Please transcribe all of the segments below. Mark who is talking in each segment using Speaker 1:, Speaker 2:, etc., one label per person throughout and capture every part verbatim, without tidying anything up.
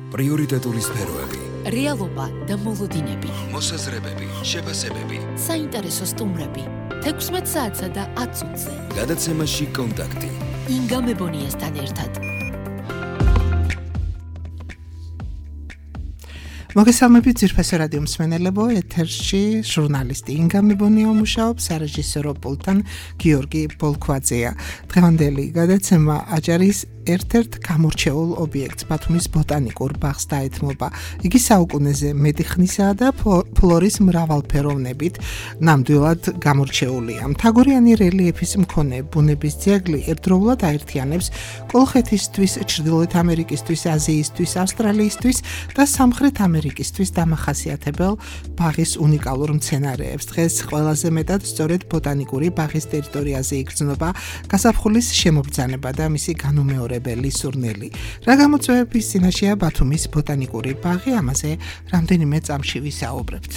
Speaker 1: პრიორიტეტული სფეროები,
Speaker 2: რეალობა და მოლოდინები,
Speaker 1: მოსაზრებები, შეფასებები,
Speaker 2: საინტერესო სტუმრები, თექვსმეტ საათსა და ათ წუთზე.
Speaker 1: გადაცემაში კონტაქტი.
Speaker 2: ინგა მებონიასთან ერთად.
Speaker 3: მოგესალმებით ძირფესო რადიო მსმენელებო, ეთერში ჟურნალისტი ინგა მებონია მუშაობს, სარეჟისორო პულტთან გიორგი ბოლქვაძეა. დღევანდელი გადაცემა აჭარის ერთ-ერთ გამორჩეულ ობიექტს ბათუმის ბოტანიკურ ბაღს დაეთმობა. იგი საუკუნეზე მეტი ხნისაა და ფლორის მრავალფეროვნებით ნამდვილად გამორჩეულია. მთაგორიანი რელიეფის მქონე ბუნების ძეგლი ერთდროულად აერთიანებს კოლხეთისთვის, ჩრდილოეთ ამერიკისთვის, აზიისთვის, ავსტრალიისთვის და სამხრეთ ამერიკისთვის დამახასიათებელ ბაღის უნიკალურ მცენარეებს. დღეს ყველაზე მეტად სწორედ ბოტანიკური ბაღის ტერიტორიაზე იგრძნობა გაზაფხულის შემობრძანება და მისი განუმეორება სურნელი. რა გამოწვევების წინაშეა ბათუმის ბოტანიკური ბაღი, ამაზე რამდენიმე წამში ვისაუბრებთ.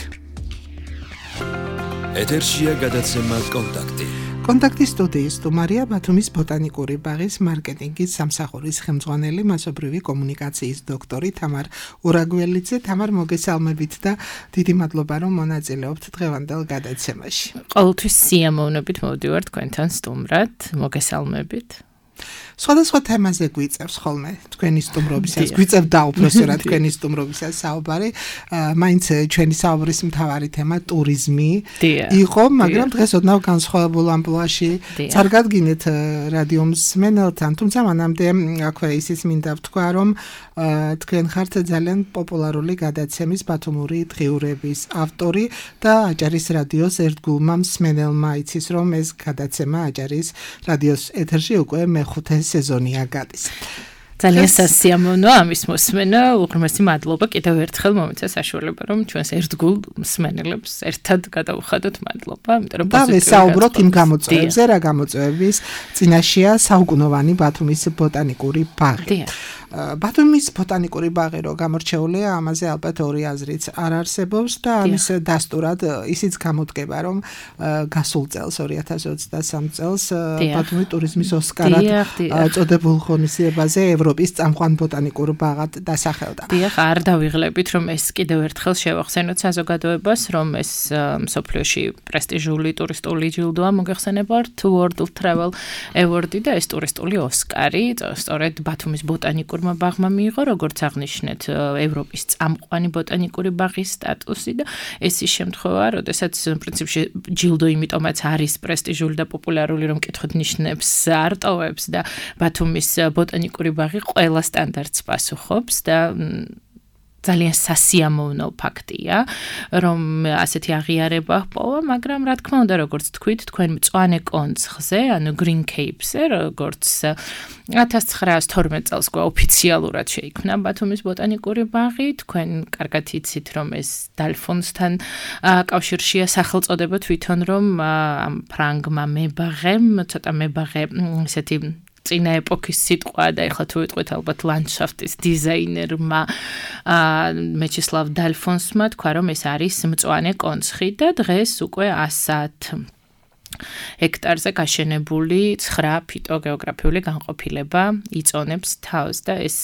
Speaker 1: ეთერშია გადაცემა კონტაქტი.
Speaker 3: კონტაქტის სტუდიის სტუმარია ბათუმის ბოტანიკური ბაღის მარკეტინგის სამსახურის ხელმძღვანელი, მასობრივი კომუნიკაციის დოქტორი თამარ ურაგველიძე. თამარ, მოგესალმებით და დიდი მადლობა, რომ მონაწილეობთ დღევანდელ გადაცემაში.
Speaker 4: ყოველთვის სიამოვნებით მოვდივარ თქვენთან სტუმრად. მოგესალმებით.
Speaker 3: სხვადასხვა თემაზე გვიწევს ხოლმე თქვენი სტუმრობისას, გვიწევდა უпроსტად თქვენი სტუმრობისას საუბარი. მაინც ჩვენი საუბრის მთავარი თემა ტურიზმი იყო, მაგრამ დღეს ოდნავ განსხვავებულ ამპლუაში წარგადგინეთ რადიო მსმენელთან. თუმცა მანამდე აქვე ისიც მინდა ვთქვა, რომ თქვენ ხართ ძალიან პოპულარული გადაცემის ბათუმური დღიურების ავტორი და აჭარის რადიოს ერთგულმა მსმენელმა იცის, რომ ეს გადაცემა აჭარის რადიოს ეთერში უკვე მეხუთე სეზონია გადის.
Speaker 4: ძალიან სასიამოვნოა ამის მოსმენა. უღრმესი მადლობა კიდევ ერთხელ მომეცა საშუალება, რომ ჩვენს ერთგულ მსმენელებს ერთად გადავუხადოთ მადლობა, იმიტომ რომ
Speaker 3: და ვესაუბროთ იმ გამოწვევებზე, რა გამოწვევების წინაშეა საუკუნოვანი ბათუმის ბოტანიკური ბაღი. ბათუმის ბოტანიკური ბაღი რო გამორჩეულია, ამაზე ალბათ ორი აზრიც არ არსებობს და ამის დასტურად ისიც გამოდგება, რომ გასულ წელს ორი ათას ოცდასამ წელს ბათუმი ტურიზმის ოსკარად წოდებულ ღონისძიებაზე ევროპის წამყვან ბოტანიკურ ბაღად დასახელდა.
Speaker 4: დიახ, არ დავიღლებით, რომ ეს კიდევ ერთხელ შევახსენოთ საზოგადოებას, რომ ეს მსოფლიოში პრესტიჟული ტურისტული ჯილდოა, მოგეხსენებათ World Travel Award და ეს ტურისტული ოსკარი, სწორედ ბათუმის ბოტანიკურ ბაღმა მიიღო, როგორც აღნიშნეთ, ევროპის წამყვანი ბოტანიკური ბაღის სტატუსი და ეს ის შემთხვევა, როდესაც პრინციპში ჯილდო იმიტომაც არის პრესტიჟული და პოპულარული, რომ კითხოთ ნიშნებს არტოვებს და ბათუმის ბოტანიკური ბაღი ყველა სტანდარტს პასუხობს და ძალიან სასიამოვნო ფაქტია, რომ ასეთი აღიარება ჰპოვა, მაგრამ რა თქმა უნდა, როგორც თქვით, თქვენ მწვანე კონცხზე, ანუ Green Cape-ზე, როგორც ათას ცხრაას თორმეტ წელს ოფიციალურად შეიქმნა ბათუმის ბოტანიკური ბაღი, თქვენ კარგად იცით, რომ ეს დალფონსთან კავშირშია სახელწოდება თვითონ, რომ ამ ფრანგმა მებაღემ, ცოტა მებაღე ესეთი წინა ეპოქის სიტყვა და ეხლა თუ ვიტყვით ალბათ ლანდშაფტის დიზაინერმა მეჩისლავ დალფონსმა თქვა, რომ ეს არის მწვანე კონცხი და დღეს უკვე ასათ ჰექტარზე გაშენებული ცხრა ფიტოგეოგრაფიული განყოფილება იწონებს თავს და ეს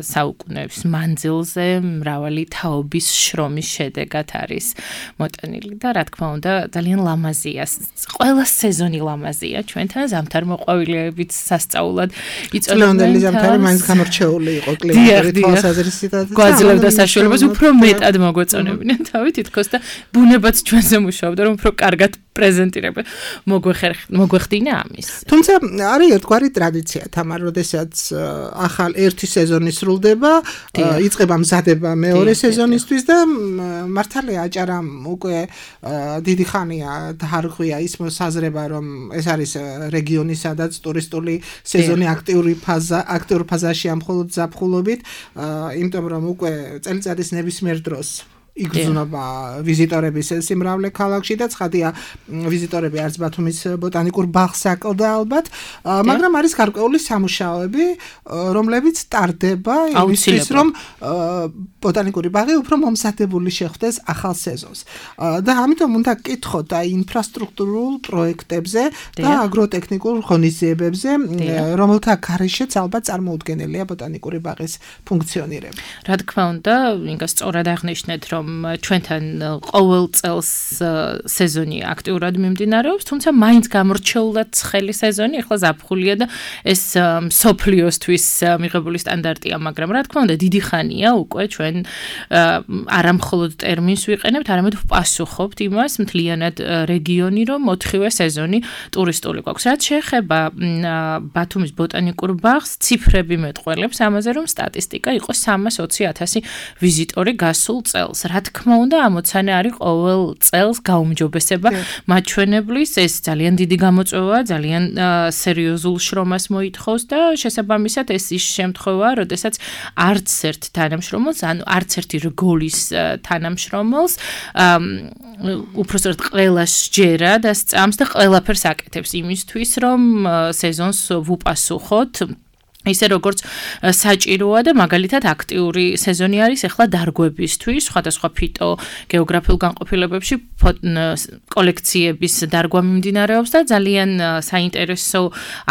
Speaker 4: საუკუნეების მანძილზე მრავალი თაობის შრომის შედეგად არის მოტანილი და რა თქმა უნდა ძალიან ლამაზია. ყველა სეზონი ლამაზია ჩვენთან, ზამთარ მოყვავილეებით სასწაულად იწოდებენ.
Speaker 3: წლევანდელი ზამთარი მაინც გამორჩეული იყო კლიმატური თვალსაზრისით.
Speaker 4: გვაძლევდა საშუალებას უფრო მეტად მოგვეწონებინა თავი თითქოს და ბუნებაც ჩვენზე მუშაობდა, რომ უფრო კარგად პრეზენტირება მოგვეხდინა ამის.
Speaker 3: თუმცა არის ერთგვარი ტრადიცია, თამარ, როდესაც ახალ ერთი სეზონი სრულდება, იწყება მზადება მეორე სეზონისთვის და მართალია აჭარამ უკვე დიდი ხანია დაარღვია ის მოსაზრება, რომ ეს არის რეგიონი, სადაც ტურისტული სეზონი აქტიური ფაზა, აქტიურ ფაზაშია მხოლოდ ზაფხულობით, იმიტომ რომ უკვე წელიწადის ნებისმიერ დროს იგრძნობა ვიზიტორების სიმრავლე ქალაქში და ცხადია ვიზიტორები არც ბათუმის ბოტანიკურ ბაღს აკლდა ალბათ, მაგრამ არის გარკვეული სამუშაოები, რომლებიც ტარდება იმისთვის, რომ ბოტანიკური ბაღი უფრო მომზადებული შეხვდეს ახალ სეზონს. და ამიტომ უნდა გკითხოთ აი ინფრასტრუქტურულ პროექტებზე და აგროტექნიკურ ღონისძიებებზე, რომელთა გარეშეც ალბათ წარმოუდგენელია ბოტანიკური ბაღის ფუნქციონირება.
Speaker 4: რა თქმა უნდა, ინგა სწორად აღნიშნეთ, რომ ჩვენთან ყოველ წელს სეზონი აქტიურად მიმდინარეობს, თუმცა მაინც გამორჩეულად ცხელი სეზონი, ახლა ზაფხულია და ეს მსოფლიოსთვის მიღებული სტანდარტია, მაგრამ რა თქმა უნდა, დიდი ხანია უკვე ჩვენ არა მხოლოდ ტერმინს ვიყენებთ, არამედ ვპასუხობთ იმას მთლიანად რეგიონი, რომ ოთხივე სეზონი ტურისტული გვაქვს. რაც შეეხება ბათუმის ბოტანიკურ ბაღს, ციფრები მეტყველებს ამაზე, რომ სტატისტიკა იყო სამას ოცი ათასი ვიზიტორი გასულ წელს. რა თქმა უნდა, ამოცანა არის ყოველ წელს გაუმჯობესება მაჩვენებლის, ეს ძალიან დიდი გამოწვევაა, ძალიან სერიოზულ შრომას მოითხოვს და შესაბამისად ეს ის შემთხვევაა, როდესაც არც ერთ თანამშრომელს, ანუ არც ერთი რგოლის თანამშრომელს უпростоრად ყველას ჯერა და სწამს და ყველაფერს აკეთებს იმისთვის, რომ სეზონს ვუპასუხოთ ისე როგორც საჭიროა და მაგალითად აქტიური სეზონი არის ახლა დარგვებისთვის, სხვადასხვა ფიტო გეოგრაფიულ განყოფილებებში კოლექციების დარგვა მიმდინარეობს და ძალიან საინტერესო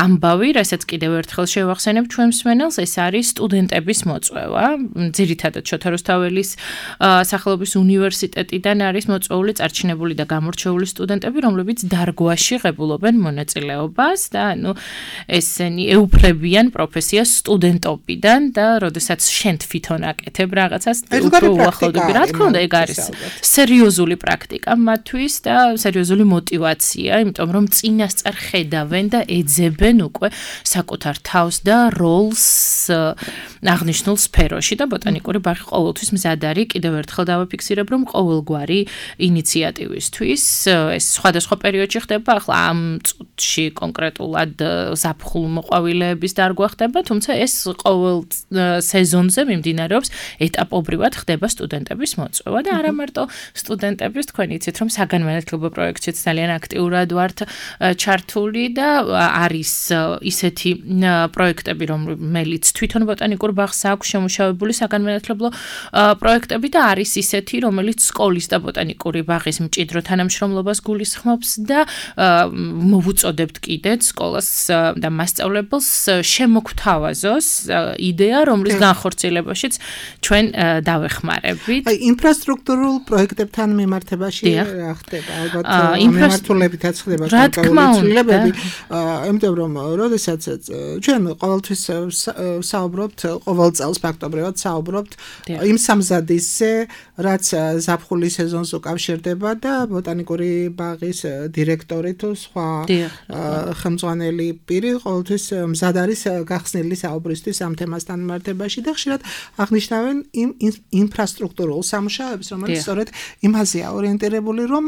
Speaker 4: ამბავი, რასაც კიდევ ერთხელ შევახსენებ ჩვენ მსმენელს, ეს არის სტუდენტების მოწვევა. ძირითადად შოთა რუსთაველის სახელობის უნივერსიტეტიდან არის მოწვეული წარჩინებული და გამორჩეული სტუდენტები, რომლებიც დარგვაში ღებულობენ მონაწილეობას და ანუ ესენი ეუფლებიან პროფესიას სტუდენტობიდან და როდესაც შენ თვითონ აკეთებ რაღაცას უფრო უახლოვდები. რა თქმა უნდა, ეგ არის სერიოზული პრაქტიკა მათთვის და სერიოზული мотиваცია, იმიტომ რომ წინასწარ ხედავენ და ეძებენ უკვე საკუთარ თავს და როლს აღნიშნულ სფეროში და ბოტანიკური ბაღი ყოველთვის მზად არის. კიდევ ერთხელ დავაფიქსირებ, რომ ყოველგვარი ინიციატივისთვის ეს სხვადასხვა პერიოდში ხდება, ახლა ამ წუთში კონკრეტულად ზაფხულ მოყვავილეების დარგვა ხდება, თუმცა ეს ყოველ სეზონზე მიმდინარეობს ეტაპობრივად ხდება სტუდენტების მოწვევა და არა მარტო სტუდენტების, თქვენ იცით, რომ საგანმანათლებლო პროექტშიც ძალიან აქტიურად ვართ ჩართული და არის ისეთი პროექტები, რომელიც თვითონ ბოტანიკურ ბაღს აქვს შემუშავებული საგანმანათლებლო პროექტები და არის ისეთი, რომელიც სკოლის და ბოტანიკური ბაღის მჭიდრო თანამშრომლობას გულისხმობს და მოვუწოდებთ კიდეც სკოლას და მასწავლებელს შემოგთავაზოს იდეა, რომლის განხორციელებაშიც ჩვენ დავეხმარებით.
Speaker 3: აი, ინფრასტრუქტურულ პროექტებთან მიმართებაში რა ხდება? ალბათ მიმართულებითაც ხდება განკარგულებები. იმიტომ რომ როდესაც ჩვენ ყოველთვის საუბრობთ, ყოველ წელს ფაქტობრივად საუბრობთ იმ სამზადისზე, რაც ზაფხულის სეზონს უკავშირდება და ბოტანიკური ბაღის დირექტორი თუ სხვა ხელმძღვანელი პირი ყოველთვის მზად არის გახსნილი საუბრისთვის ამ თემასთან მიმართებაში და ხშირად აღნიშნავენ იმ ინფრასტრუქტურულ სამუშაოებს, რომელიც სწორედ იმაზეა ორიენტირებული, რომ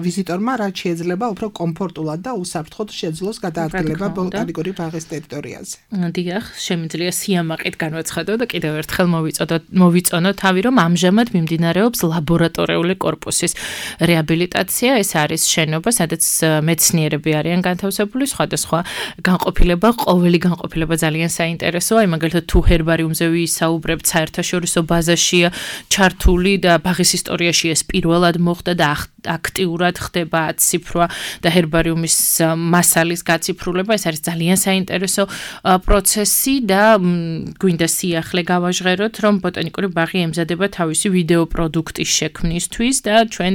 Speaker 3: ვიზიტორმა რაც შეიძლება უფრო კომფორტულად და უსაფრთხოდ შეძლოს გადაადგილება ბოტანიკური ბაღის ტერიტორიაზე.
Speaker 4: დიახ, შემიძლია სიამაყით განვაცხადო და კიდევ ერთხელ მოვიწონო თავი, რომ ამჟამად მიმდინარეობს ლაბორატორიული კორპუსის რეაბილიტაცია. ეს არის შენობა, სადაც მეცნიერები არიან განთავსებული, სხვადასხვა განყოფილება, ყოველი განყოფილება ძალიან საინტერესოა. მაგალითად, თუ ჰერბარიუმზე ვისაუბრებთ, საერთაშორისო ბაზაშია ჩართული და ბაღის ისტორიაში ეს პირველად მოხდა და აქტიურად ხდება აციფრვა და ჰერბარიუმის მასალის გაციფრულება. ეს არის ძალიან საინტერესო პროცესი და გვინდა სიახლე გავაჟღეროთ, რომ ბოტანიკური ბაღი ემზადება თავისი ვიდეო პროდუქტის შექმნისთვის და ჩვენ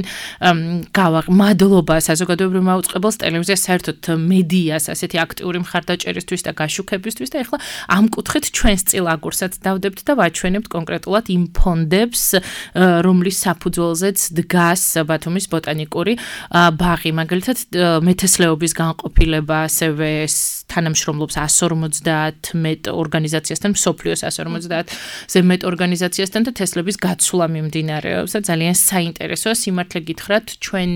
Speaker 4: გავაღმადლობა საზოგადოებრივ მაუწყებელს, ტელევიზიას, საერთოდ მედიას ასეთი აქტიური მხარდაჭერისთვის და გაშუქებისთვის და ეხლა ამ კუთხით ჩვენს წილ აგურსაც დავდებთ და ვაჩვენებთ კონკრეტულად იმ ფონდებს, რომლის საფუძველზეც დგას ბათუმის ბოტანიკური ბაღი. მაგალითად, მეთესლეობის განყოფილება ასევე თანამშრომლობს ას ორმოცდაათმეტ ორგანიზაციასთან, მსოფლიოს ას ორმოცდაათზე მეტ ორგანიზაციასთან და თესლების გაცვლა მიმდინარეობს და ძალიან საინტერესოა. სიმართლე გითხრათ, ჩვენ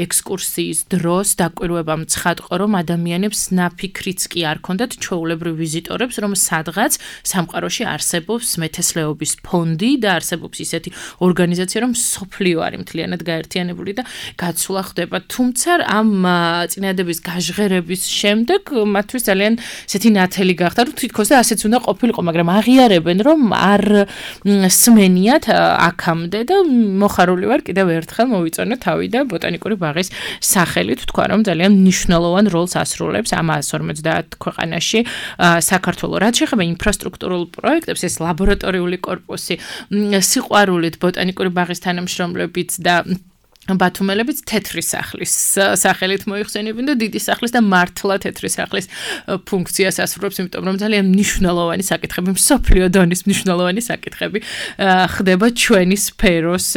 Speaker 4: ექსკურსიის დროს დაკვირვებამ ცხადყო, რომ ადამიანებს ნაფიქრიც კი არ ქონდათ ჩვეულებრივ ვიზიტორებს ნიშნავს, რომ სადღაც სამყაროში არსებობს მეთესლეობის ფონდი და არსებობს ისეთი ორგანიზაცია, რომ სოფლიო არის მთლიანად გაერთიანებული და გაცვლა ხდება. თუმცა ამ წინადადების გაჟღერების შემდეგ მათთვის ძალიან ესეთი ნათელი გახდა, რომ თითქოს და ასეც უნდა ყოფილიყო, მაგრამ აღიარებენ, რომ არ სმენიათ აქამდე და მოხარული ვარ კიდევ ერთხელ მოვიწონე თავი და ბოტანიკური ბაღის სახელით თქვა, რომ ძალიან მნიშვნელოვან როლს ასრულებს ამ εκατს ორმოცდაათ ქვეყანაში საქართველო. რაც შეეხება ინფრასტრუქტურულ პროექტებს, ეს ლაბორატორიული კორპუსი, სიყვარულით ბოტანიკური ბაღის თანამშრომლებით და ბათუმელებიც თეთრი სახლის სახელით მოიხსენებენ და დიდი სახლის და მართლა თეთრი სახლის ფუნქციას ასრულებს, იმიტომ რომ ძალიან მნიშვნელოვანი საკითხები, მსოფლიო დონის მნიშვნელოვანი საკითხები ხდება ჩვენი სფეროს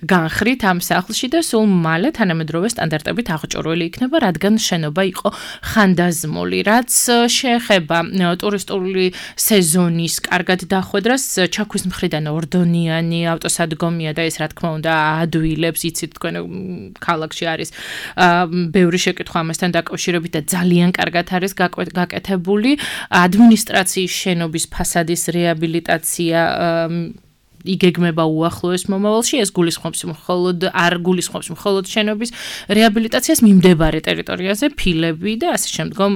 Speaker 4: განხრით ამ სახლში და სულ მალე თანამედროვე სტანდარტებით აღჭურვილი იქნება, რადგან შენობა იყო ხანდაზმული. რაც შეეხება ტურისტული სეზონის კარგად დახვედრას, ჩაქვის მხრიდან ორდონიანი ავტოსადგომია და ეს რა თქმა უნდა ადვილებს, იცით თქვენ ქალაქში არის ბევრი შეკითხვა ამასთან დაკავშირებით და ძალიან კარგად არის გაკეთებული ადმინისტრაციის შენობის ფასადის რეაბილიტაცია იგეგმება უახლოეს მომავალში, ეს გულისხმობს მხოლოდ არ გულისხმობს მხოლოდ შენობის რეაბილიტაციას მიმდებარე ტერიტორიაზე, ფილები და ასე შემდგომ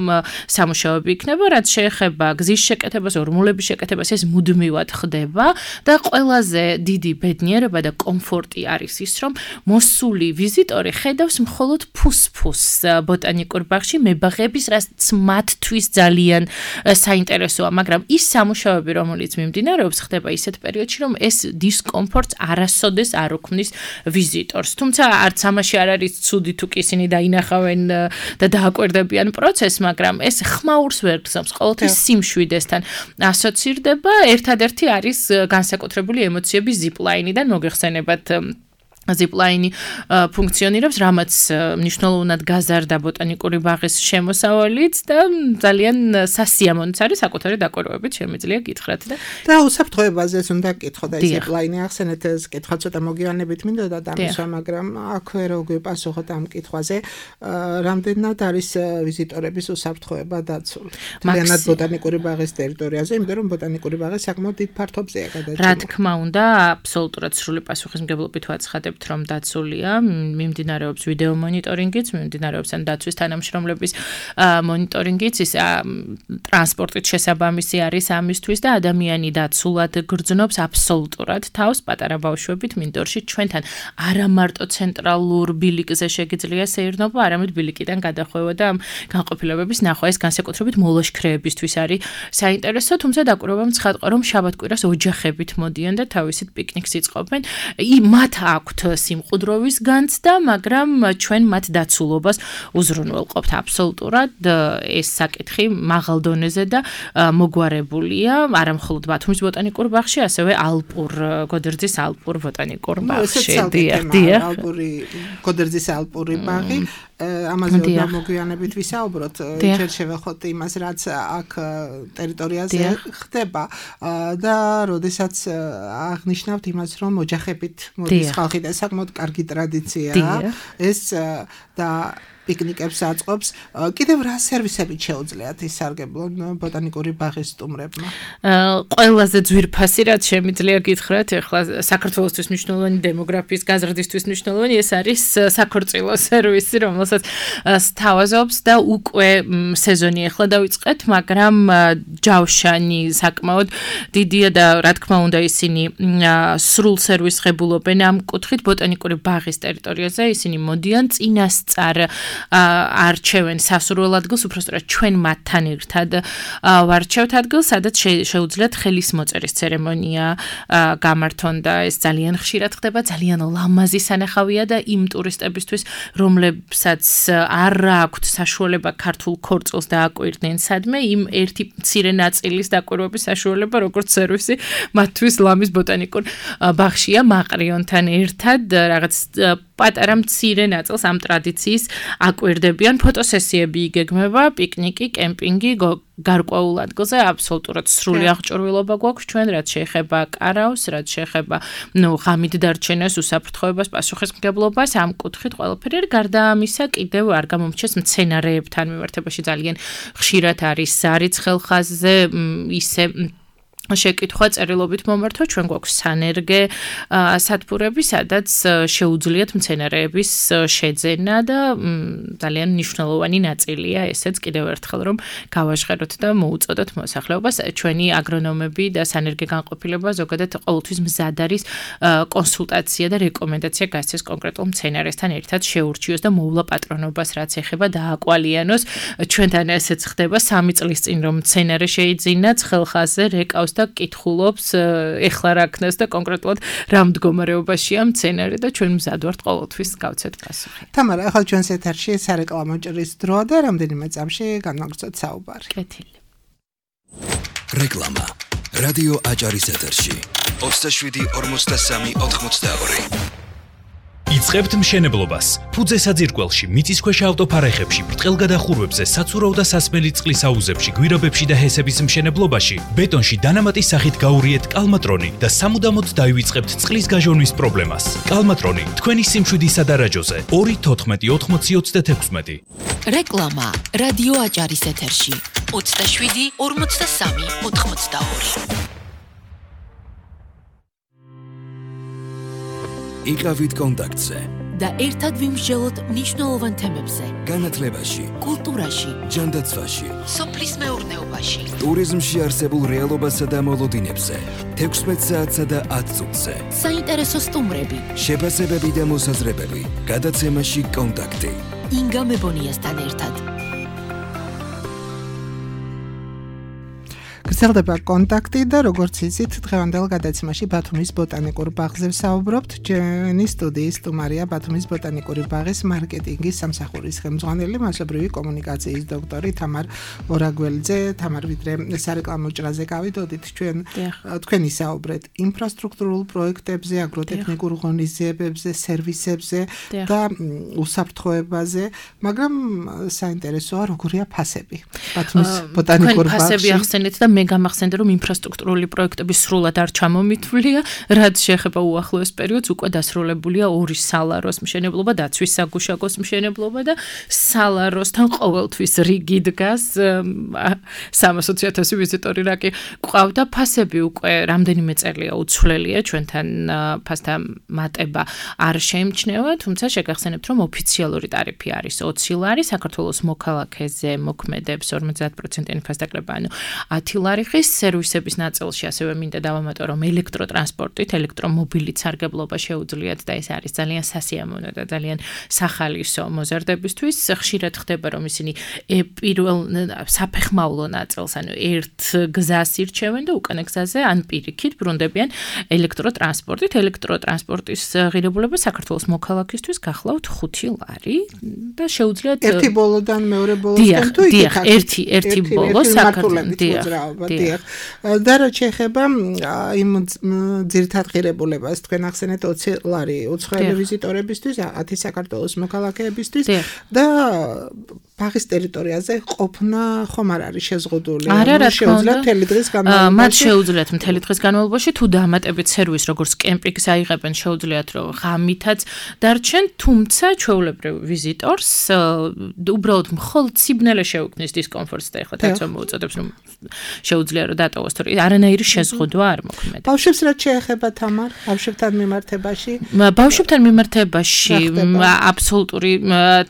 Speaker 4: სამუშაოები იქნება, რაც შეეხება გზის შეკეთებას, ორმულების შეკეთებას, ეს მუდმივად ხდება და ყველაზე დიდი ბედნიერება და კომფორტი არის ის, რომ მოსული ვიზიტორი ხედავს მხოლოდ ფუს-ფუსს ბოტანიკურ ბაღში, მებაღების, რაც მათთვის ძალიან საინტერესოა, მაგრამ ის სამუშაოები, რომელიც მიმდინარეობს, ხდება ისეთ პერიოდში, რომ ეს დისკომფორტს არასოდეს არ უქმნის ვიზიტორს. თუმცა არც ამაში არ არის ცუდი თუ კი ისინი დაინახავენ და დააკვირდებიან პროცესს, მაგრამ ეს ხმაურს ვერ გზავს, ყოველთვის სიმშვიდესთან ასოცირდება. ერთადერთი არის განსაკუთრებული ემოციები ზიპლაინიდან, მოგეხსენებათ ზიპლაინი ფუნქციონირებს, რამაც მნიშვნელოვნად გაზარდა ბოტანიკური ბაღის შემოსავალიც და ძალიან სასიამოვნოც არის საკუთარი დაკვირვებით შემიძლია გითხრათ და
Speaker 3: და უსაფრთხოებაზეც უნდა გკითხო და ზიპლაინი ახსენეთ, ეს კითხვა ცოტა მოგვიანებით მინდოდა დამისვა, მაგრამ აქვე რო გვიპასუხოთ ამ კითხვაზე, რამდენად არის ვიზიტორების უსაფრთხოება დაცული მთლიანად ბოტანიკური ბაღის ტერიტორიაზე, იმიტომ რომ ბოტანიკური ბაღი საკმაოდ დიდ ფართობზეა გადაჭიმული.
Speaker 4: რა თქმა უნდა, აბსოლუტურად სრული პასუხისმგებლობით ვაცხადებ რომ დაცულია, მიმდინარეობს ვიდეო მონიტორინგიც, მიმდინარეობს ან დაცვის თანამშრომლების მონიტორინგიც, ის ტრანსპორტით შესაბამისი არის ამისთვის და ადამიანი დაცულად გრძნობს აბსოლუტურად თავს პატარა ბავშვებით მინდორში ჩვენთან არა მარტო ცენტრალურ ბილიკზე შეგიძლია სეირნობა, არამედ ბილიკიდან გადახვევა და ამ განყოფილებების ნახვა, ეს განსაკუთრებით მოლაშქრეებისთვის არის საინტერესო, თუმცა დაკვირვებამ ცხადყა, რომ შაბათ-კვირას ოჯახებით მოდიან და თავისით პიკნიკს იწყობენ. მათ აქვთ სიმყუდროვის განცდა, მაგრამ ჩვენ მათ დაცულობას უზრუნველყოფთ აბსოლუტურად. ეს საკითხი მაღალ დონეზე და მოგვარებულია არა მხოლოდ ბათუმის ბოტანიკურ ბაღში, ასევე ალპურ გოდერძის ალპურ ბოტანიკურ ბაღში.
Speaker 3: დიახ, დიახ. ალპური გოდერძის ალპური ბაღი, ამაზე უნდა მოგვიანებით ვისაუბროთ. ჯერ შევეხოთ იმას, რაც აქ ტერიტორიაზე ხდება და როდესაც აღნიშნავთ იმას, რომ ოჯახებით მოდის ხალხი და საკმაოდ კარგი ტრადიციაა ეს და პიკნიკებს აწყობს. კიდევ რა სერვისებით შეუძლიათ ისარგებლონ ბოტანიკური ბაღის სტუმრებმა?
Speaker 4: ყველაზე ძვირფასი რაც შემიძლია გითხრათ, ეხლა საქართველოსთვის მნიშვნელოვანი დემოგრაფიის გაზრდისთვის მნიშვნელოვანი ეს არის საქორწილო სერვისი, რომელსაც სთავაზობს და უკვე სეზონი ეხლა დავიწყეთ, მაგრამ ჯავშანი საკმაოდ დიდია და რა თქმა უნდა ისინი სრულ სერვისს ღებულობენ ამ კუთხით ბოტანიკური ბაღის ტერიტორიაზე, ისინი მოდიან წინასწარ არჩევენ სასურველ ადგილს, უბრალოდ ჩვენ მათთან ერთად ვარჩევთ ადგილს, სადაც შეუძლიათ ხელის მოწერის ცერემონია გამართონ და ეს ძალიან ხშირად ხდება, ძალიან ლამაზი სანახავია და იმ ტურისტებისთვის, რომლებსაც არ აქვთ საშუალება ქართულ ქორწილს დააკვირდნენ სადმე, იმ ერთი მცირე ნაწილის დაკვირვების საშუალება, როგორც სერვისი, მათთვის ლამის ბოტანიკურ ბაღშია მაყრიონთან ერთად რაღაც პატარა მცირე ნაწილს ამ ტრადიციის აკვირდებიან. ფოტოსესიები იგეგმება, პიკნიკი, კემპინგი, გარკვეულ ადგილზე აბსოლუტურად სრული აღჭურვილობა გვაქვს ჩვენ, რაც შეეხება კარავს, რაც შეეხება, ნუ, ღამით დარჩენას, უსაფრთხოებას, პასუხისმგებლობას, ამ კუთხით ყველაფერი. გარდა ამისა, კიდევ არ გამომრჩეს მცენარეებთან მიმართებაში ძალიან ხშირად არის არის ხელხაზზე ისე შეკითხვა წერილობით მომართვა, ჩვენ გვაქვს სანერგე სათბურები, სადაც შეუძლიათ მცენარეების შეძენა და ძალიან მნიშვნელოვანი ნაწილია ესეც კიდევ ერთხელ რომ გავაჟღეროთ და მოუწოდოთ მოსახლეობას. ჩვენი აგრონომები და სანერგე განყოფილება ზოგადად ყოველთვის მზად არის კონსულტაცია და რეკომენდაცია გასცეს კონკრეტულ მცენარესთან ერთად შეურჩიოს და მოვლა პატრონობას რაც ეხება დააკვალიანოს. ჩვენთან ესეც ხდება სამი წლის წინ რომ მცენარე შეიძინა ცხელხაზზე რეკავს და კითხულობს ეხლა რა ქნას და კონკრეტულად რა მდგომარეობაშია მცენარე და ჩვენ მზად ვართ ყოველთვის გავცეთ პასუხი.
Speaker 3: თამარა, ახლა ჩვენს ეთერში სარეკლამო ჭრის დროა და რამდენიმე წამში განვაგრძოთ საუბარი.
Speaker 4: კეთილი.
Speaker 1: რეკლამა. რადიო აჭარის ეთერში. ოცდაშვიდი ორმოცდასამი ოთხმოცდაორი.
Speaker 5: იწყებთ მშენებლობას. ფუძე საძირკველში, მიწისქვეშა ავტოფარეხებში, ბრტყელგადახურვებზე, საცურაო და სასმელი წყლის აუზებში, გვირაბებში და ჰესების მშენებლობაში, ბეტონში დანამატის სახით გაურიეთ კალმატრონი და სამუდამოდ დაივიწყებთ წყლის გაჟონვის პრობლემას. კალმატრონი, თქვენი სიმშვიდისა და რაჯოზე. ორი თოთხმეტი ოთხმოცი ოცდათექვსმეტი.
Speaker 2: რეკლამა რადიო აჭარის ეთერში. ოცდაშვიდი ორმოცდასამი ოთხმოცდაორი.
Speaker 1: იყავით კონტაქტზე
Speaker 2: და ერთად ვიმსჯელოთ მნიშვნელოვან თემებზე.
Speaker 1: განათლებაში,
Speaker 2: კულტურაში,
Speaker 1: ჯანდაცვაში,
Speaker 2: სოფლის მეურნეობაში,
Speaker 1: ტურიზმში არსებულ რეალობასა და მოლოდინებზე, თექვსმეტ საათსა და ათ წუთზე.
Speaker 2: საინტერესო სტუმრები,
Speaker 1: შეფასებები და მოსაზრებები. გადაცემაში კონტაქტი.
Speaker 2: ინგა მებონიასთან ერთად.
Speaker 3: გრძელდება კონტაქტი და როგორც იცით, დღევანდელ გადაცემაში ბათუმის ბოტანიკურ ბაღზე ვსაუბრობთ. ჩვენი სტუდიის სტუმარია ბათუმის ბოტანიკური ბაღის მარკეტინგის სამსახურის ხელმძღვანელი, მასობრივი კომუნიკაციის დოქტორი თამარ ორაგველიძე. თამარ, ვიდრე სარეკლამო ჭრაზე გავიდოდით, ჩვენ თქვენი საუბრეთ ინფრასტრუქტურულ პროექტებზე, აგროტექნიკურ ღონისძიებებზე, სერვისებზე და უსაფრთხოებაზე, მაგრამ საინტერესოა როგორია ფასები. ბათუმის ბოტანიკურ ბაღში.
Speaker 4: ფასები ახსენეთ და მე გამახსენდა რომ ინფრასტრუქტურული პროექტები სრულად არ ჩამომითვლია, რაც შეეხება უახლოეს პერიოდს უკვე დასრულებულია ორი სალაროს მშენებლობა, დაცვის საგუშაგოს მშენებლობა და სალაროსთან ყოველთვის რიგი დგას სამას ოცი ათასი ვიზიტორი რა კი ყავდა. ფასები უკვე რამდენიმე წელია უცვლელია, ჩვენთან ფასთა მატება არ შეიმჩნევა, თუმცა შეგახსენებთ რომ ოფიციალური ტარიფი არის ოცი ლარი, საქართველოს მოქალაქეზე მოქმედებს ორმოცდაათ პროცენტიანი ფასდაკლება, ანუ ათი ლარი ხის სერვისების ნაწილში ასევე მინდა დავამატო რომ ელექტროტრანსპორტით, ელექტრომობილით სარგებლობა შეუძლიათ და ეს არის ძალიან სასიამოვნო და ძალიან სახალისო მოზარდებისთვის. ხშირად ხდება რომ ისინი პირველ საფეხმავლო ნაწილს, ანუ ერთ გზას ირჩევენ და უკანა გზაზე ან პირიქით ბრუნდებიან ელექტროტრანსპორტით. ელექტროტრანსპორტის ღირებულება საქართველოს მოქალაქისთვის გახლავთ ხუთი ლარი და შეუძლიათ
Speaker 3: ერთი ბოლოდან მეორე ბოლოსკენ თუ
Speaker 4: იქ ერთი ერთი ბოლო საქართველოს
Speaker 3: და რაც შეეხება იმ ძირითად ღირებულებას, თქვენ ახსენეთ ოცი ლარი უცხოელი ვიზიტორებისთვის, ათი საქართველოს მოქალაქეებისთვის და ბაღის ტერიტორიაზე ყოფნა ხომ არ არის შეზღუდული? შეუძლიათ მთელი დღის განმავლობაში?
Speaker 4: მათ შეუძლიათ მთელი დღის განმავლობაში თუ დაამატებით სერვისს, როგორც კემპინგს აიღებენ, შეუძლიათ რომ ღამითაც დარჩენ, თუმცა ჩვეულებრივ ვიზიტორს უბრალოდ მხოლოდ სიბნელე შეუქმნის დისკომფორტს და ეხლა თაცო მოუწოდებს რომ შეუძლია რომ დატოვოს, თორე არანაირი შეზღუდვა არ მოქმედებს.
Speaker 3: ბავშვებს რაც შეეხება თამარ, ბავშვებთან მიმართებაში?
Speaker 4: ბავშვებთან მიმართებაში აბსოლუტური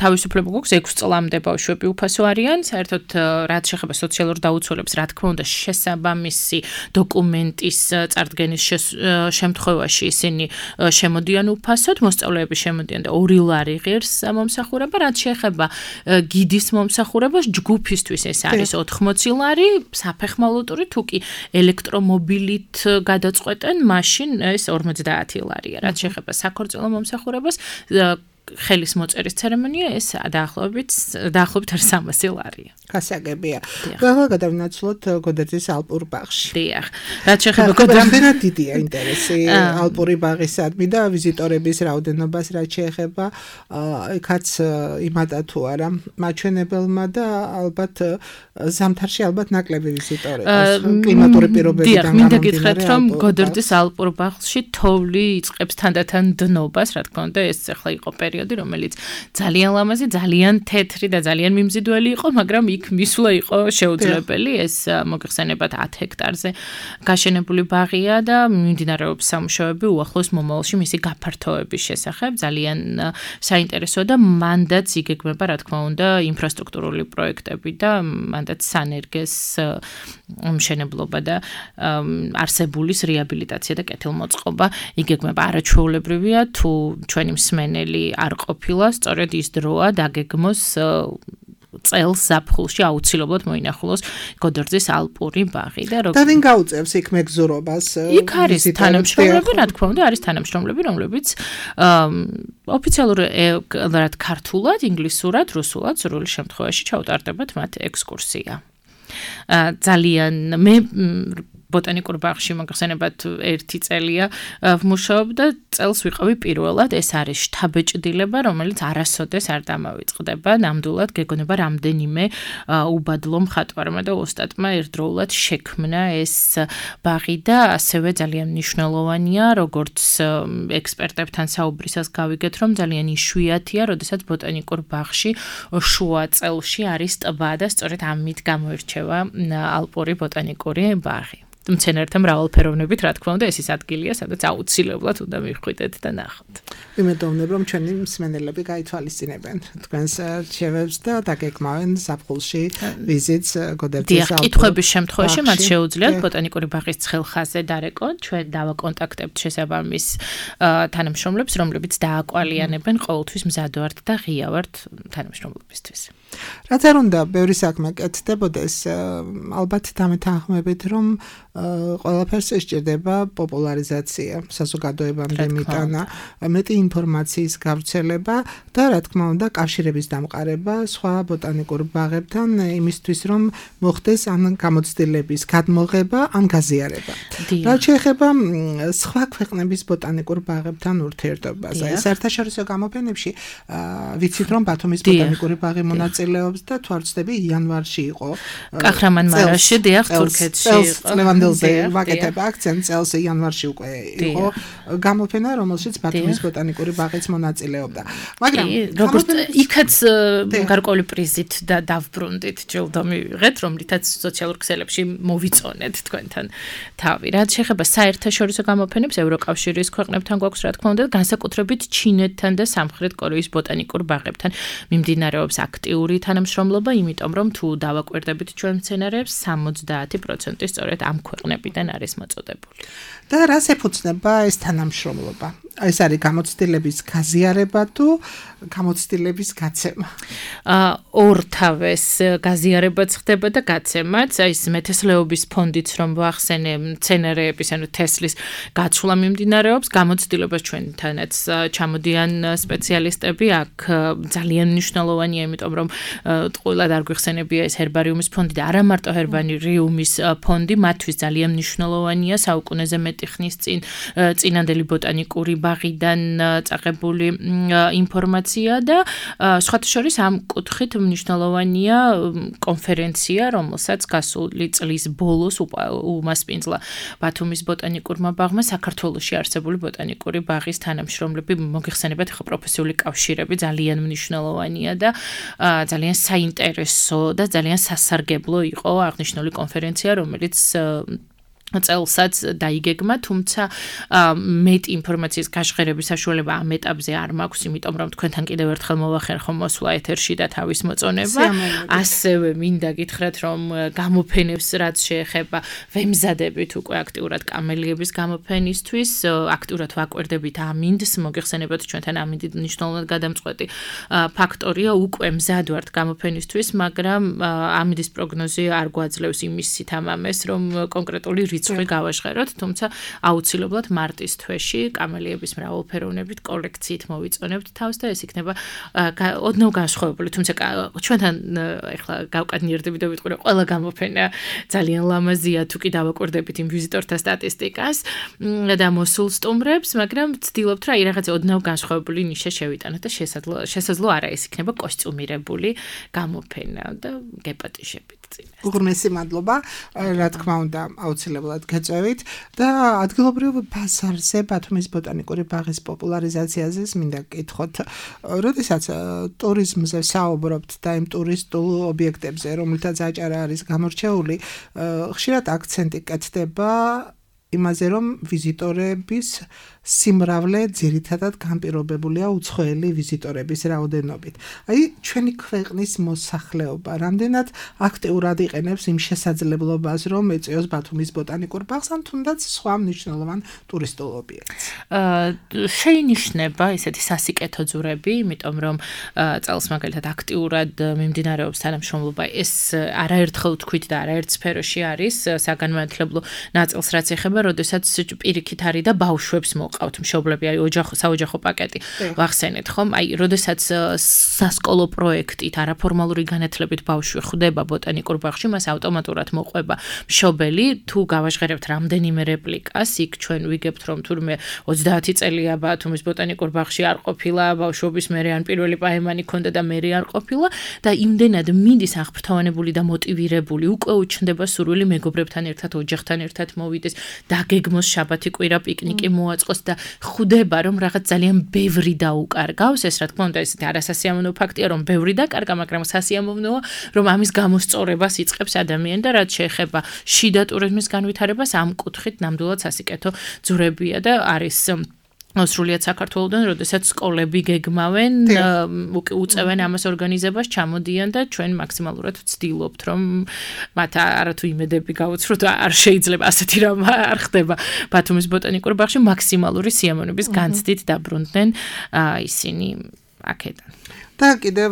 Speaker 4: თავისუფლება გვაქვს, ექვსი წლამდე ბავშვები უფასო არიან, საერთოდ რაც შეეხება სოციალურ დაუცველებს, რა თქმა უნდა, შესაბამისი დოკუმენტის წარდგენის შემთხვევაში ისინი შემოდიან უფასოდ, მოსწავლეები შემოდიან და ორი ლარი ღირს მომსახურება, რაც შეეხება გიდის მომსახურებას, ჯგუფისთვის ეს არის ოთხმოცი ლარი, საფეხმავლო ტური თუ კი ელექტრომობილით გადაწყვეტენ, მაშინ ეს ორმოცდაათი ლარია. რაც შეეხება საქორწილო მომსახურებას, ხელის მოწერის ცერემონია ეს დაახლოებით დაახლოებით სამასი ლარია.
Speaker 3: გასაგებია. ყველა გადავინაცვლოთ გოდერძის ალპურ ბაღში.
Speaker 4: დიახ. რაც შეეხება
Speaker 3: გოდერძის დიდია ინტერესი ალპური ბაღისადმი და ვიზიტორების რაოდენობას რაც შეეხება იქაც იმადა თუ არა მაჩვენებელმა და ალბათ ზამთარში ალბათ ნაკლები ვიზიტორები კლიმატური პირობებიდან
Speaker 4: გამომდინარე. მინდა გითხრათ რომ გოდერძის ალპურ ბაღში თოვლი იწყებს თანდათან დნობას, რა თქმა უნდა, ეს ახლა იყო პერიოდი, რომელიც ძალიან ლამაზი, ძალიან თეთრი და ძალიან მიმზიდველი იყო, მაგრამ იქ მისვლა იყო შეუძლებელი. ეს მოგეხსენებათ ათ ჰექტარზე გაშენებული ბაღია და მიმდინარეობს სამუშაოები უახლოს მომავალში მისი გაფართოების შესახებ. ძალიან საინტერესოა და მანდაც იგეგმება, რა თქმა უნდა, ინფრასტრუქტურული პროექტები და მანდაც სანერგეს მშენებლობა და არსებულის რეაბილიტაცია და კეთილმოწყობა იგეგმება. არაჩვეულებრივია თუ ჩვენი მსმენელი არ ყოფილა, სწორედ ის დროა დაგეგმოს წელს ზაფხულში აუცილებლად მოინახულოს გოდერძის ალპური ბაღი და
Speaker 3: და ვინ გაუწევს იქ მეგზურობას?
Speaker 4: იქ არის თანამშრომლები, რა თქმა უნდა, არის თანამშრომლები, რომლებიც ოფიციალურად ქართულად, ინგლისურად, რუსულად, სრული შემთხვევაში ჩაუტარდებათ მათ ექსკურსია. ძალიან მე ბოტანიკურ ბაღში მოგხსენებათ ერთი წელია ვმუშაობდა, წელს ვიყავი პირველად, ეს არის შთაბეჭდილება, რომელიც არასოდეს არ დამავიწყდება, ნამდვილად გეგონება რამდენიმე უბადლო მხატვარმა და ოსტატმა ერთდროულად შექმნა ეს ბაღი და ასევე ძალიან მნიშვნელოვანია, როგორც ექსპერტებთან საუბრისას გავიგეთ, რომ ძალიან იშვიათია, როდესაც ბოტანიკურ ბაღში შუა წელში არის ტბა და სწორედ ამით გამოირჩევა ალპური ბოტანიკური ბაღი. მცენარეთა მრავალფეროვნებით, რა თქმა უნდა, ეს ის ადგილია, სადაც აუცილებლად უნდა მივხვიდეთ და ნახოთ.
Speaker 3: ვიმედოვნებ, რომ ჩვენი მსმენელები გაითვალისწინებენ თქვენს რჩევებს და დაგეგმავენ ზაფხულში ვიზიტს გოდერძის ალპურ.
Speaker 4: დიახ, კითხვების შემთხვევაში მათ შეუძლიათ ბოტანიკური ბაღის ცხელხაზე დარეკონ, ჩვენ დავაკონტაქტებთ შესაბამის თანამშრომლებს, რომლებიც დააკვალიანებენ, ყოველთვის მზად ვართ და ღია ვართ თანამშრომლებისთვის.
Speaker 3: რაც არ უნდა, ბევრი საქმე კეთდებოდეს, ალბათ დამეთანხმებით, რომ ყველაფერს სჭირდება პოპულარიზაცია, საზოგადოებამდე მიტანა, მეტი ინფორმაციის გავრცელება და რა თქმა უნდა, კავშირების დამყარება სხვა ბოტანიკურ ბაღებთან იმისთვის, რომ მოხდეს ან გამოცდილების გადმოღება, ან გაზიარება. რაც შეეხება სხვა ქვეყნების ბოტანიკურ ბაღებთან ურთიერთობაზე, საერთაშორისო გამოფენებში ვიცით, რომ ბათუმის ბოტანიკური ბაღი მონაწილეობს და თუ არ ვცდები, იანვარში იყო
Speaker 4: კაჰრამანმარაში, დიახ, თურქეთში იყო.
Speaker 3: ლევანდელზე ვაკეთებ აქცენტს, წელს იანვარში უკვე იყო გამოფენა, რომელშიც ბათუმის ბოტანიკური ბაღიც მონაწილეობდა. მაგრამ
Speaker 4: როგორც იქაც გარკვეული პრიზით და დავბრუნდით ჯილდო მივიღეთ, რომლითაც სოციალურ ქსელებში მოვიწონეთ თქვენთან თავი. რაც შეეხება საერთაშორისო გამოფენებს, ევროკავშირის ქვეყნებთან გვაქვს, რა თქმა უნდა, განსაკუთრებით ჩინეთთან და სამხრეთ კორეის ბოტანიკურ ბაღებთან მიმდინარეობს აქტიური თანამშრომლობა, იმიტომ რომ თუ დავაკვირდებით ჩვენ მცენარეებს, სამოცდაათი პროცენტი სწორედ ამ ქვეყნებიდან არის მოწოდებული.
Speaker 3: და რას ეფუძნება ეს თანამშრომლობა? ეს არის გამოცდილების გაზიარება თუ გამოცდილების გაცემა?
Speaker 4: ორთავეს გაზიარებაც ხდება და გაცემაც, აი ეს მეთესლეობის ფონდიც რომ ვახსენე, მცენარეების, ანუ თესლის გაცვლა მიმდინარეობს, გამოცდილებას ჩვენთანაც ჩამოდიან სპეციალისტები, აქ ძალიან მნიშვნელოვანია, იმიტომ რომ ტყუილად არ გვიხსენებია ეს ჰერბარიუმის ფონდი და არა მარტო ჰერბარიუმის ფონდი, მათთვის ძალიან მნიშვნელოვანია საუკუნეზე მეტი ხნის წინ წინანდელი ბოტანიკური ბაღიდან წაღებული ინფორმაცია და სხვათა შორის ამ კუთხით მნიშვნელოვანია კონფერენცია, რომელსაც გასული წლის ბოლოს უმასპინძლა ბათუმის ბოტანიკურმა ბაღმა საქართველოში არსებული ბოტანიკური ბაღის თანამშრომლები, მოგეხსენებათ, ხო პროფესიული კავშირები ძალიან მნიშვნელოვანია და ძალიან საინტერესო და ძალიან სასარგებლო იყო აღნიშნული კონფერენცია, რომელიც წელსაც დაიგეგმა, თუმცა მეტ ინფორმაციის გაშღერების საშუალება ამ ეტაპზე არ მაქვს, იმიტომ რომ თქვენთან კიდევ ერთხელ მოვახერხო მოსვლა ეთერში და თავის მოწონება. ასევე მინდა გითხრათ, რომ გამოფენებს რაც შეეხება ვემზადებით უკვე აქტიურად კამელიების გამოფენისთვის, აქტიურად ვაკვირდებით ამინდს, მოგეხსენებათ ჩვენთან ამინდი მნიშვნელოვნად გადამწყვეტი ფაქტორია, უკვე მზად ვართ გამოფენისთვის, მაგრამ ამინდის პროგნოზი არ გვაძლევს იმის სითამამეს, რომ კონკრეტული რიცხვი გავაჟღეროთ, თუმცა აუცილებლად მარტის თვეში კამელიების მრავალფეროვნებით კოლექციით მოვიწონებთ თავს და ეს იქნება ოდნავ განსხვავებული, თუმცა ჩვენთან ეხლა გავკადნიერდები და ვიტყვი, რომ ყველა გამოფენა ძალიან ლამაზია თუ კი დავაკვირდებით იმ ვიზიტორთა სტატისტიკას და მოსულ სტუმრებს, მაგრამ ვცდილობთ რა რაღაცა ოდნავ განსხვავებული ნიშა შევიტანოთ და შესაძლო შესაძლო არა ეს იქნება კოსტიუმირებული გამოფენა და გეპატიჟებით წინ.
Speaker 3: უღრმესი მადლობა, რა თქმა უნდა, აუცილებლად გეწევით და ადგილობრივ ბაზარზე ბათუმის ბოტანიკური ბაღის პოპულარიზაციაზე მინდა გკითხოთ, როდესაც ტურიზმზე საუბრობთ და იმ ტურისტულ ობიექტებზე, რომელთაც აჭარა არის გამორჩეული, ხშირად აქცენტი კეთდება იმაზე, რომ ვიზიტორების სიმრავლე ძირითადად განპირობებულია უცხოელი ვიზიტორების რაოდენობით. აი, ჩვენი ქვეყნის მოსახლეობა რამდენად აქტიურად იყენებს იმ შესაძლებლობას, რომ ეწეოს ბათუმის ბოტანიკურ ბაღს, ან თუნდაც სხვა მნიშვნელოვან ტურისტულ ობიექტს.
Speaker 4: შეინიშნება ესეთი სასიკეთო ძურები, იმიტომ რომ წელს მაგალითად აქტიურად მიმდინარეობს თანამშრომლობა. ეს არაერთხელ თქვით და არაერთ სფეროში არის საგანმანათლებლო ნაწილს, რაც ეხება, როდესაც პირიქით არის და ბავშვებს ყავთ მშობლები, აი ოჯახო საოჯახო პაკეტი ვახსენეთ ხომ? აი, როდესაც სასკოლო პროექტით არაფორმალური განათლებით ბავშვი ხვდება ბოტანიკურ ბაღში, მას ავტომატურად მოყვება მშობელი, თუ გავაჟღერებთ რამდენიმე რეპლიკას, იქ ჩვენ ვიგებთ, რომ თურმე ოცდაათი წელია ბათუმის ბოტანიკურ ბაღში არ ყოფილა, ბავშვობის მერე ან პირველი პაემანი ქონდა და მერე არ ყოფილა და იმდენად მიდის აღფრთოვანებული და მოტივირებული, უკვე უჩნდება სურვილი მეგობრებთან ერთად, ოჯახთან ერთად მოვიდეს, დაგეგმოს შაბათი კვირა პიკნიკი მოაწყოს და ხვდება, რომ რაღაც ძალიან ბევრი დაუკარგავს, ეს რა თქმა უნდა ესეთი არასასიამოვნო ფაქტია, რომ ბევრი დაკარგა, მაგრამ სასიამოვნოა, რომ ამის გამოსწორებას იწყებს ადამიანი და რაც შეეხება შიდა ტურიზმის განვითარებას, ამ კუთხით ნამდვილად სასიკეთო ძურებია და არის სრულიად საქართველოდან, როდესაც სკოლები გეგმავენ, უწევენ ამას ორგანიზებას, ჩამოდიან და ჩვენ მაქსიმალურად ვცდილობთ, რომ მათ არათუ იმედები გავუცროთ, არ შეიძლება ასეთი რამ არ ხდება ბათუმის ბოტანიკურ ბაღში, მაქსიმალური სიამოვნების განცდით დაბრუნდნენ ისინი აქედან.
Speaker 3: და კიდევ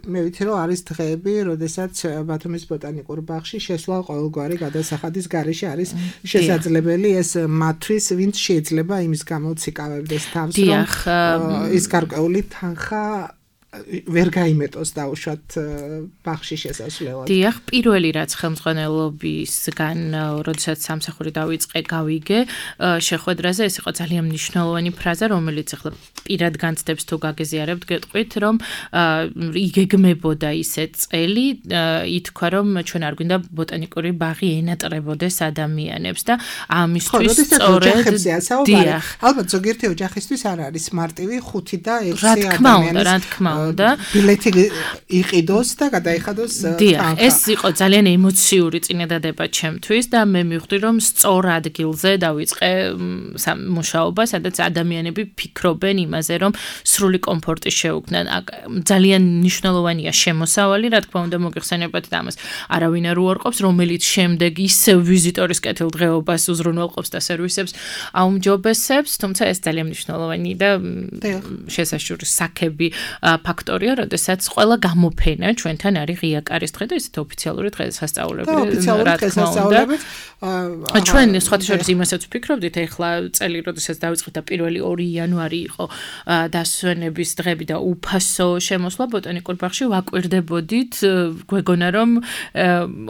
Speaker 3: მე ვიცი, რომ არის დღეები, როდესაც ბათუმის ბოტანიკურ ბაღში შესვლა ყოველგვარი გადასახადის გარეშე არის შესაძლებელი, ეს მათთვის, ვინც შეიძლება იმის გამოციკავებდეს თავს, რომ ის გარკვეული თანხა ვერ გაიმეტოს დაუშვათ ბაღში შესასვლელად.
Speaker 4: დიახ, პირველი რაც ხელმძღვანელობისგან, როდესაც სამსახური დავიწყე, გავიგე შეხვედრაზე, ეს იყო ძალიან მნიშვნელოვანი ფრაზა, რომელიც ახლა პირად განცდებს თუ გაგეზიარებთ, გეტყვით, რომ იგეგმებოდა ისე წელი, ითქვა, რომ ჩვენ არ გვინდა ბოტანიკური ბაღი ენატრებოდეს ადამიანებს და ამისთვის სწორედ
Speaker 3: დიახ. ალბათ ზოგიერთი ოჯახისთვის არ არის მარტივი ხუთი და ექვსი
Speaker 4: ადამიანის. რა თქმა უნდა, რა თქმა უნდა. და
Speaker 3: ბილეთი იყიდოს და გადაიხადოს
Speaker 4: თანხა. ეს იყო ძალიან ემოციური წინადადება ჩემთვის და მე მივხვდი, რომ სწორ ადგილზე დავიწყე მუშაობა, სადაც ადამიანები ფიქრობენ იმაზე, რომ სრული კომფორტი შეუქმნან. ძალიან მნიშვნელოვანია შემოსავალი, რა თქმა უნდა მოგეხსენებათ და ამას არავინ არ უარყოფს, რომელიც შემდეგ ისევ ვიზიტორის კეთილდღეობას უზრუნველყოფს და სერვისებს აუმჯობესებს, თუმცა ეს ძალიან მნიშვნელოვანი და შესაშური საქები ფაქტორია, როდესაც ყველა გამოფენა ჩვენთან არის ღია კარის დღე და ესეთი ოფიციალური დღესასწაულები, რა თქმა უნდა. ჩვენ სხვათა შორის იმასაც ვფიქრობდით, ეხლა წელი, როდესაც დავიწყეთ და პირველი ორი იანვარი იყო დასვენების დღები და უფასო შემოსვლა ბოტანიკურ ბაღში, ვაკვირდებოდით, გვეგონა რომ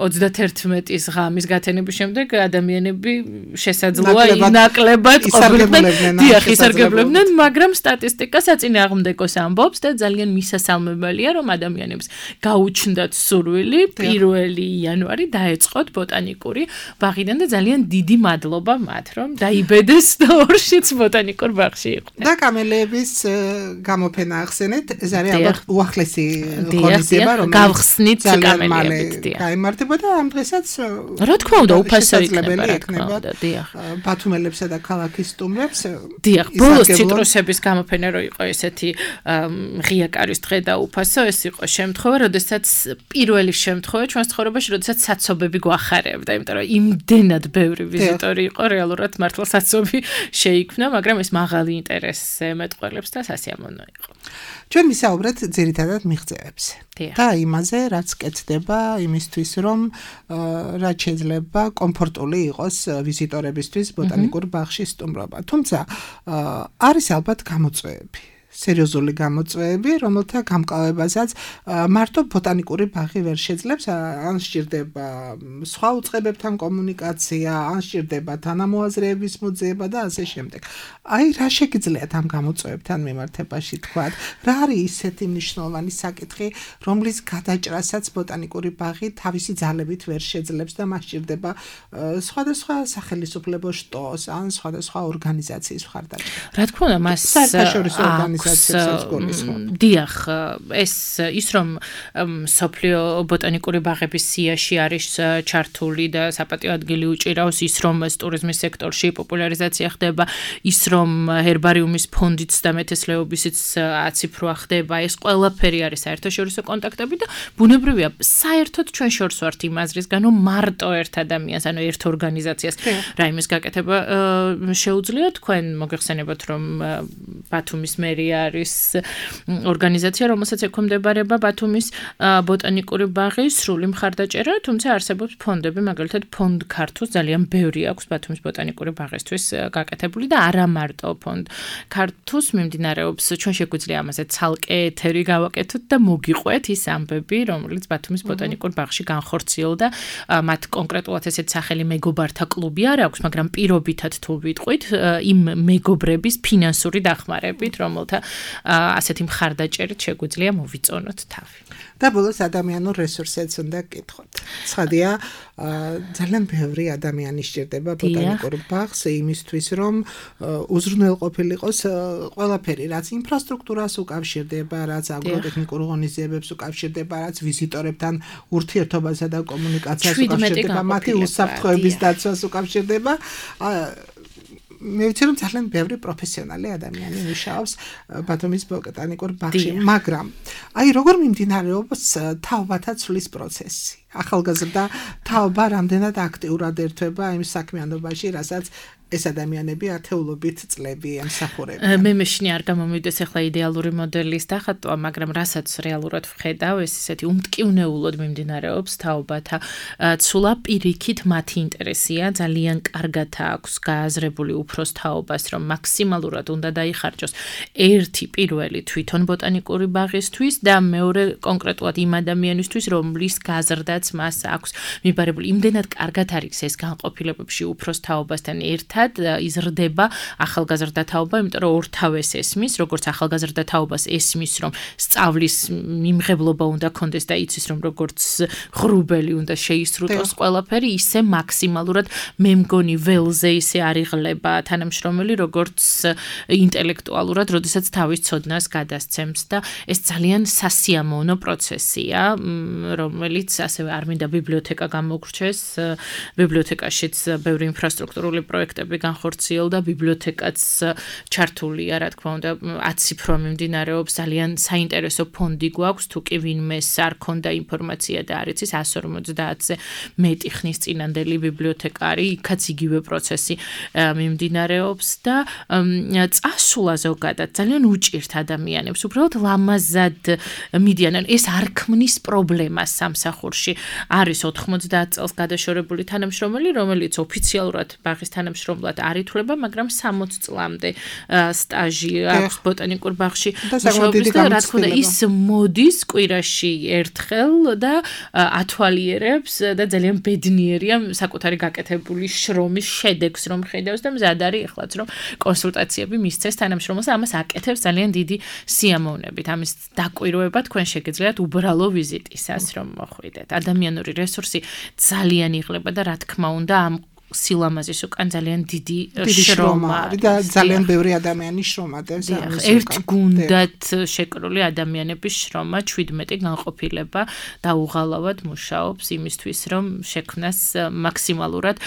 Speaker 4: ოცდათერთმეტის ღამის გათენების შემდეგ ადამიანები შესაძლოა ნაკლებად ყოფილიყვნენ, დიახ, ისარგებლებდნენ, მაგრამ სტატისტიკა საწინააღმდეგოს ამბობს და ძალიან მისასალმებელია, რომ ადამიანებს გაუჩნდათ სურვილი პირველი იანვარი დაეწყოთ ბოტანიკური ბაღიდან და ძალიან დიდი მადლობა მათ, რომ დაიბედეს და ორშიც ბოტანიკურ ბაღში იყვნენ.
Speaker 3: და კამელიების გამოფენა ახსენეთ, ეს არის ალბათ უახლესი ღონისძიება, რომელიც
Speaker 4: გავხსნით კამელიებით, დიახ.
Speaker 3: გაიმართება და ამ დღესაც
Speaker 4: რა თქმა უნდა უფასო იქნება, რა თქმა უნდა, დიახ.
Speaker 3: ბათუმელებსა და ქალაქის სტუმრებს.
Speaker 4: დიახ, ბოლოს ციტრუსების გამოფენა რო იყო ესეთი ღია არის დღე და უფასო, ეს იყო შემთხვევა, როდესაც პირველი შემთხვევა ჩვენს ცხოვრებაში, როდესაც საცობები გვახარებდა, იმიტომ რომ იმდენად ბევრი ვიზიტორი იყო, რეალურად მართლა საცობი შეიქმნა, მაგრამ ეს მაღალი ინტერესს ემეტყველებს და სასიამოვნო იყო.
Speaker 3: ჩვენ ვისაუბრეთ ძირითადად მიღწევებზე და იმაზე, რაც კეთდება იმისთვის, რომ რაც შეიძლება კომფორტული იყოს ვიზიტორებისთვის ბოტანიკურ ბაღში სტუმრობა. თუმცა არის ალბათ გამოწვევები. სერიოზული გამოწვევები, რომელთა გამკავებასაც მარტო ბოტანიკური ბაღი ვერ შეძლებს, ან სჭირდება სხვა უწყებებთან კომუნიკაცია, ან სჭირდება თანამოაზრეების მოძიება და ასე შემდეგ. აი, რა შეგიძლიათ ამ გამოწვევებთან მიმართებაში თქვათ? რა არის ისეთი მნიშვნელოვანი საკითხი, რომლის გადაჭრასაც ბოტანიკური ბაღი თავისი ძალებით ვერ შეძლებს და მას სჭირდება სხვადასხვა სახელმწიფო შტოს, ან სხვადასხვა ორგანიზაციის მხარდაჭერა?
Speaker 4: რა თქმა უნდა, მას
Speaker 3: საერთაშორისო ორგანიზაციებსაც
Speaker 4: დიახ, ეს ის რომ სოფლიო ბოტანიკური ბაღების სიაში არის ჩართული და საპატიო ადგილი უჭირავს, ის რომ ტურიზმის სექტორში პოპულარიზაცია ხდება, ის რომ ჰერბარიუმის ფონდიც და მეთესლეობისიც აციფრვა ხდება, ეს ყველაფერი არის საერთაშორისო კონტაქტები და ბუნებრივია, საერთოდ ჩვენ შორს ვართ იმ აზრისგან, რომ მარტო ერთ ადამიანს, ანუ ერთ ორგანიზაციას რაიმეს გაკეთება შეუძლია. თქვენ მოგეხსენებათ, რომ ბათუმის მერია არის ორგანიზაცია, რომელსაც ექვემდებარება ბათუმის ბოტანიკური ბაღის სრული მხარდაჭერა, თუმცა არსებობს ფონდები, მაგალითად ფონდ ქართუს ძალიან ბევრი აქვს ბათუმის ბოტანიკური ბაღისთვის გაკეთებული და არა მარტო ფონდ ქართუს მიმდინარეობს, ჩვენ შეგვიძლია ამაზე ცალკე ეთერი გავაკეთოთ და მოგიყვეთ ის ამბები, რომელიც ბათუმის ბოტანიკურ ბაღში განხორციელდა, მათ კონკრეტულად ესეთ სახელი მეგობართა კლუბი არ აქვს, მაგრამ პირობითად თუ ვიტყვით, იმ მეგობრების ფინანსური დახმარებით, რომელთა ასეთი მხარდაჭერით შეგვიძლია მოვიწონოთ თავი.
Speaker 3: და ბოლოს ადამიანურ რესურსებს უნდა გკითხოთ. ცხადია, ძალიან ბევრი ადამიანი სჭირდება ბოტანიკურ ბაღს იმისთვის, რომ უზრუნველყოფილიყოს ყველაფერი, რაც ინფრასტრუქტურას უკავშირდება, რაც აგროტექნიკურ ღონისძიებებს უკავშირდება, რაც ვიზიტორებთან ურთიერთობასა და კომუნიკაციას უკავშირდება, მათი უსაფრთხოების დაცვას უკავშირდება. მე ვიცი რომ ძალიან ბევრი პროფესიონალი ადამიანი მუშაობს ბათუმის ბოტანიკურ ბაღში, მაგრამ აი როგორ მიმდინარეობს თაობათა ცვლის პროცესი? ახალგაზრდა თაობა რამდენად აქტიურად ერთვება იმ საქმიანობაში, რასაც ეს ადამიანები ათეულობით წლები ემსახურებიან.
Speaker 4: მე მეშინი არ გამომივიდეს ახლა იდეალური მოდელის დახატვა, მაგრამ რასაც რეალურად ვხედავ, ეს ისეთი უმტკივნეულოდ მიმდინარეობს თაობათა ცვლა, პირიქით მათი ინტერესია, ძალიან კარგად აქვს გააზრებული უფროს თაობას, რომ მაქსიმალურად უნდა დაიხარჯოს ერთი პირველი თვითონ ბოტანიკური ბაღისთვის და მეორე კონკრეტულად იმ ადამიანისთვის, რომლის გაზრდაც მას აქვს მიბარებული. იმდენად კარგად არის ეს განყოფილებებში უფროს თაობასთან ერთად იზრდება ახალგაზრდა თაობა, იმიტომ რომ ორთავეს ესმის, როგორც ახალგაზრდა თაობას ესმის, რომ სწავლის მიმღებლობა უნდა კონდეს და იცის, რომ როგორც ღრუბელი უნდა შეისრუტოს ყველაფერი, ისე მაქსიმალურად მე მგონი ველზე ისე არიღლება თანამშრომელი, როგორც ინტელექტუალურად, როდესაც თავის ცოდნას გადასცემს და ეს ძალიან სასიამოვნო პროცესია, რომელიც ასევე არ მინდა ბიბლიოთეკა გამოგრჩეს, ბიბლიოთეკაშიც ბევრი ინფრასტრუქტურული პროექტები განხორციელდა, ბიბლიოთეკაც ჩართულია, რა თქმა უნდა, აციფრვა მიმდინარეობს, ძალიან საინტერესო ფონდი გვაქვს, თუ კი ვინმეს არ ქონდა ინფორმაცია და არ იცის εκατს ორმოცდაათზე მეტი ხნის წინანდელი ბიბლიოთეკარი, იქაც იგივე პროცესი მიმდინარეობს და წასვლა ზოგადად ძალიან უჭირთ ადამიანებს, უბრალოდ ლამაზად მიდიან, ეს არ ქმნის პრობლემას სამსახურში. არის ოთხმოცდაათ წელს გადაშორებული თანამშრომელი, რომელიც ოფიციალურად ბაღის თანამშრომლად არ ითვლება, მაგრამ სამოც წლამდე სტაჟი აქვს ბოტანიკურ ბაღში მუშაობის და რა თქმა უნდა ის მოდის კვირაში ერთხელ და ათვალიერებს და ძალიან ბედნიერია საკუთარი გაკეთებული შრომის შედეგს რომ ხედავს და მზად არის ეხლაც რომ კონსულტაციები მისცეს თანამშრომელს, ამას აკეთებს ძალიან დიდი სიამოვნებით. ამის დაკვირვება თქვენ შეგიძლიათ უბრალო ვიზიტისას რომ მოხვიდეთ. ადამიანური რესურსი ძალიან იღლება და რა თქმა უნდა ამ სილამაზის უკან ძალიან დიდი
Speaker 3: შრომა
Speaker 4: შრომა
Speaker 3: და ძალიან ბევრი ადამიანი შრომა დეს ამის უკან.
Speaker 4: ერთ გუნდად შეკრული ადამიანების შრომა ჩვიდმეტი განყოფილება და უღალავად მუშაობს იმისთვის, რომ შექმნას მაქსიმალურად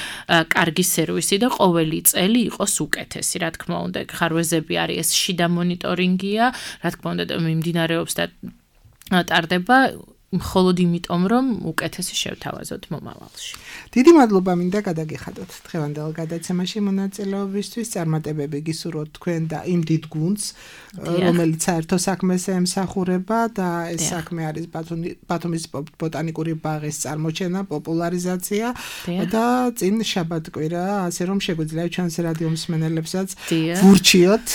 Speaker 4: კარგი სერვისი და ყოველი წელი იყოს უკეთესი. Რა თქმა უნდა, ხარვეზები არის ეს შიდა მონიტორინგია, რა თქმა უნდა მიმდინარეობს და ტარდება მხოლოდ იმიტომ, რომ უკეთესი შევთავაზოთ მომავალში.
Speaker 3: დიდი მადლობა მინდა გადაგიხადოთ დღევანდელ გადაცემაში მონაწილეობისთვის. წარმატებები გისურვოთ თქვენ და იმ დიდ გუნდს, რომელიც საერთო საქმეს ემსახურება და ეს საქმე არის ბათუმის ბოტანიკური ბაღის წარმოჩენა, პოპულარიზაცია და წინ შაბათ-კვირა, ასე რომ შეგვიძლია ჩვენს რადიო მსმენელებსაც ვურჩიოთ,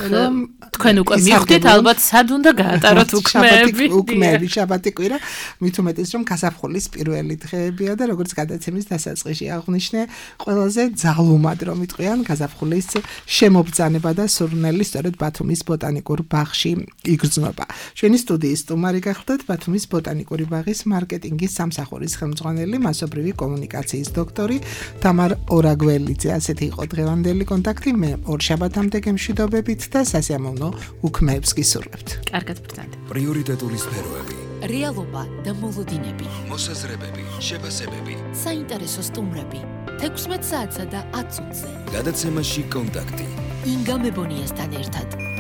Speaker 4: რომ თქვენ უკვე მივხვდით ალბათ სად უნდა გაატაროთ უქმეები.
Speaker 3: უქმეები შაბათი მით უმეტეს რომ გაზაფხულის პირველი დღეებია და როგორც გადაცემის დასაწყისში აღვნიშნე, ყველაზე ძალუმად რომ იტყვიან გაზაფხულის შემობრძანება და სურნელი სწორედ ბათუმის ბოტანიკურ ბაღში იგრძნობა. ჩვენი სტუდიის სტუმარი გახლდათ ბათუმის ბოტანიკური ბაღის მარკეტინგის სამსახურის ხელმძღვანელი, მასობრივი კომუნიკაციის დოქტორი თამარ ორაგველიძე. ასეთი იყო დღევანდელი კონტაქტი. მე ორ შაბათამდე გემშვიდობებით და სასიამოვნო უქმეებს გისურვებთ.
Speaker 4: კარგად ბრძანეთ.
Speaker 1: პრიორიტეტული სფეროები.
Speaker 2: რეალობა და მოლოდინები.
Speaker 1: მოსაზრებები, შეფასებები.
Speaker 2: საინტერესო სტუმრები. თექვსმეტ საათსა და ათ წუთზე.
Speaker 1: გადაცემაში კონტაქტი.
Speaker 2: ინგა მებონიასთან ერთად.